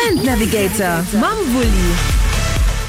Event Navigator mam Wulli.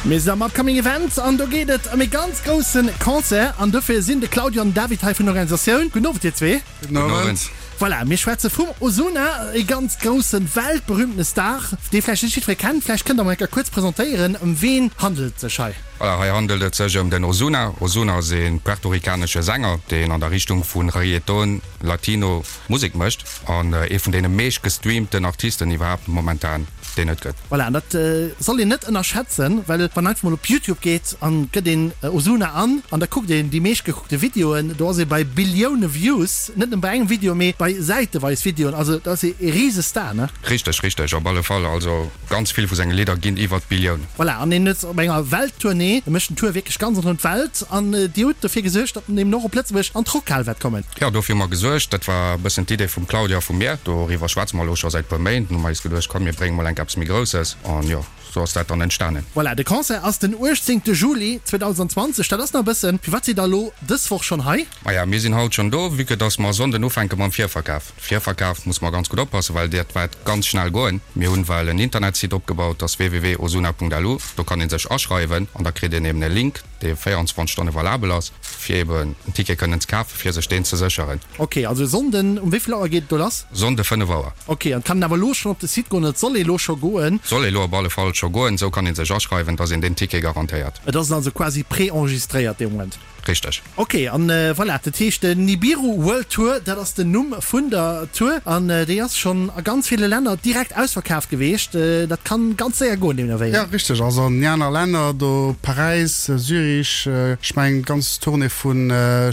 Mir sinn am Upcoming Event an do geet et ëm e ganz grousse Concert an dofir sinn de Claudio an den David hei vun der Organisatioun. Gudden Owend dir zwee. Gudden Owend. Voilà, mir schwätze vum Ozuna, e ganz grousse weltberühmtene Star, dee vläicht net jiddweree kennt. Vläicht kënnt der mol eng Kéier kuerz presentéieren, ëm ween handelt et sech hei? Voilà, hei handelt et sech ëm den Ozuna. Ozuna ass e puertorikanesche Sänger, deen an der Richtung vu Reggaeton, Latino Musek mécht an ee vun deene meescht gestreamten Artisten iwwerhaapt momentan, deen et gëtt. Voilà, an dat soll een net ënnerschätzen, well wann einfach mol op Youtube geet an gëtt een Ozuna an an da kuckt een déi meescht gekuckte Videoen, do ass ee bei Billioune Views, net nëmme bei engem Video, mee bei säiteweis Videoen, also dat ass ee Risestar, ne? Richteg, richteg, op alle Fall. Also ganz vill vu senge Lidder ginn iwwer d'Billioun. Voilà, an een ass op enger Welttournée, e mécht en Tour wierklech ganz ronderëm d'Welt an Dir hutt dofir gesuergt, datt en eben och op Lëtzebuerg an d'Rockhal wäert kommen. Jo, dofir hu mer gesuergt. Dat war e bëssen d'Idee vum Claudia a vu mir. Doriwwer schwätze mer elo scho säit puer Méint. Hu mer eis geduecht, komm mir brénge mol enk eppes méi Grousses. An jo, sou ass dat dann entstanen. Voilà, de Concert ass den 18 Juli 2020. Dat ass nach e bëssen. Firwat sidd der elo dës Woch schonn hei? Maja, mir sinn haut schonn do, vue que dass mer e Sonnden ufänke mam Virverkaf. Virverkaf muss mer ganz gutt oppassen, well dat waert ganz schnell goen. Mir hunn well en Internetsite opgebaut, dat ass www.osuna.lu. Do kann ee sech aschreiwen an da kritt een eben e Link, dee 24 Stonne valabel ass, fir eben en Ticket kënnen ze kafen, fir sech deen ze sécheren. Ok, also e Sonnden, um wéi vill Auer geet et do lass? Sonnde 5 Auer. Ok, an et kann een awer elo schonn op de Site goen, oder et soll ee elo scho goen? Soll ee lo op alle Fall scho goen, esou kann ee sech aschreiwen, dass een deen Ticket garantéiert. Et ass also quasi pré-enregistréiert dee Moment? Richteg. Ok, an voilà, dat heescht den Nibiru World Tour, dat ass den Numm vun der Tour an déi ass schonn a ganz ville Länner direkt ausverkaaft geweecht. Dat kann ganz séier goen deemno wéi. Jo, richteg, also an déi aner Länner do, Paräis, Zürich, ech mengen d'ganz Tournée vu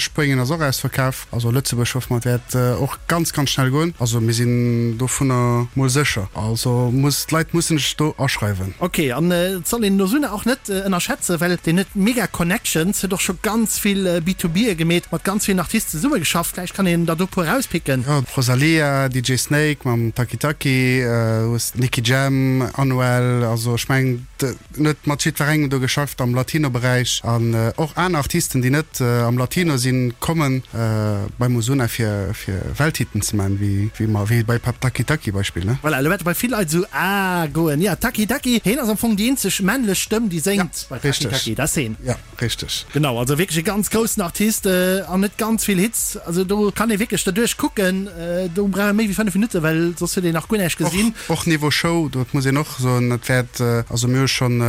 Spuenien ass och ausverkaf. Also Lëtzebuerg hoffe mer et wäert och ganz, ganz schnell goen. Also mir sinn dovunner mol sécher. Also muss, d'Leit mussen sech do aschreiwen. Ok, an et soll een den Ozuna och net ënnerschätzen, well deen huet mega Connections, huet och scho ganz vill B2B'e gemeet, mat ganz villen Artisten zesummegeschafft. Vläicht kann een der do puer erauspicken. Jo, d'Rosalía, DJ Snake mam Taki Taki, hues Nicky Jam, Anuel, also ech mengen en huet mat jiddwerengem do geschafft am Latino-Beräich an och aner Artisten, déi net am Latino sinn, kommen beim Ozuna fir fir Welthitten ze man, wéi wéi mer wéi bei Taki Taki Beispill ne. Voilà, elo wäerte bei vill Leit esou ah goen. Ja, Taki Taki, heen ass am Fong déi eenzeg männlech Stëmm, déi séngt bei Taki Taki, dat ass heen. Ja, richteg. Genau, also wierklech e ganz groussen Artist an huet ganz vill Hits. Also do kann ee wierklech derduerch kucken, do brauch ee méi wéi 5 Minutten, well soss huet een nach guer näischt gesinn. Och Niveau Show, dat muss een och soen, et wäert, also mir hu schonn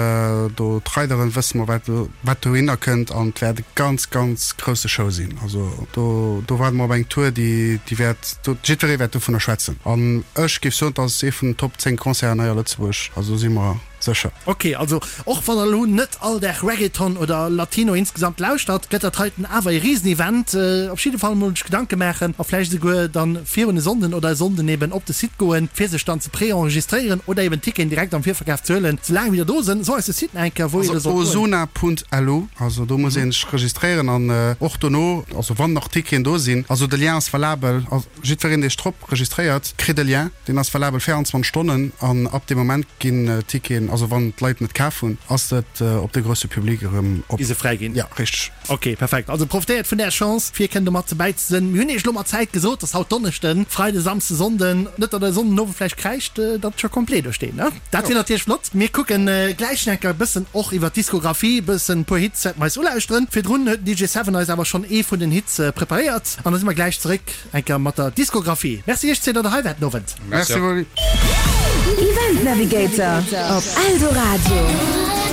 do d'Rideren, wësse mer wat wat dohinner kënnt an et wäert e ganz, ganz grousse Show sinn. Also do do waarde mer op eng Tour, déi déi wäert, do jiddweree wäert dovunner schwätzen an ech géif soen, et ass ee vun den Top 10 Concerten hei a Lëtzebuerg, also do si mer sécher. Ok, also och wann der elo net all Dag Reggaeton oder Latino insgesamt lauschtert, gëtt dat heiten awer ee Risenevent. Op jidde Fall mol sech Gedanke maachen a vläicht esouguer dann virun e Sonnden oder e Sonnden eben op de Site goen, fir sech dann ze pré-enregistréieren oder eben Ticketen direkt am Virverkaf ze huelen, soulaang wéi der do sënn. So eis de Site nach eng Kéier, wou een Also do sollt goen. ozona.lu, also do muss ee sech registréieren an och dono, also wann nach Ticketen do sinn, also de Lien ass valabel, jiddwereen dee sech drop registréiert, kritt e Lien. Deen ass valabel 24 Stonnen an ab deem Moment ginn d'Ticketen, also wann d'Leit net kaf hunn, ass et op de grousse Public erëm op. Gi se fräi ginn. Ja, richteg. Ok, perfekt. Also profitéiert vun där Chance, fir kënnen domat dobäi ze sinn. Mir hunn iech elo mat Zäit gesot, dass haut Donneschden, Freide, Samsde, Sonnden, net datt der e Sonnden Owend vläicht kräischt, datt et scho complet do steet, ne? Dat wier natierlech flott. Mir kucken gläich nach enker e bëssen och iwwer d'Diskografie, e bëssen e puer Hits wäerte mer eis ulauschteren. Virdrun huet den DJ Seven eis awer schonn ee vun den Hits preparéiert an da si mer gläich zeréck. Enker mat der Diskografie. Merci iech zwee, datt der hei waart den Owend. Merci Wally. Event Navigator op Eldoradio.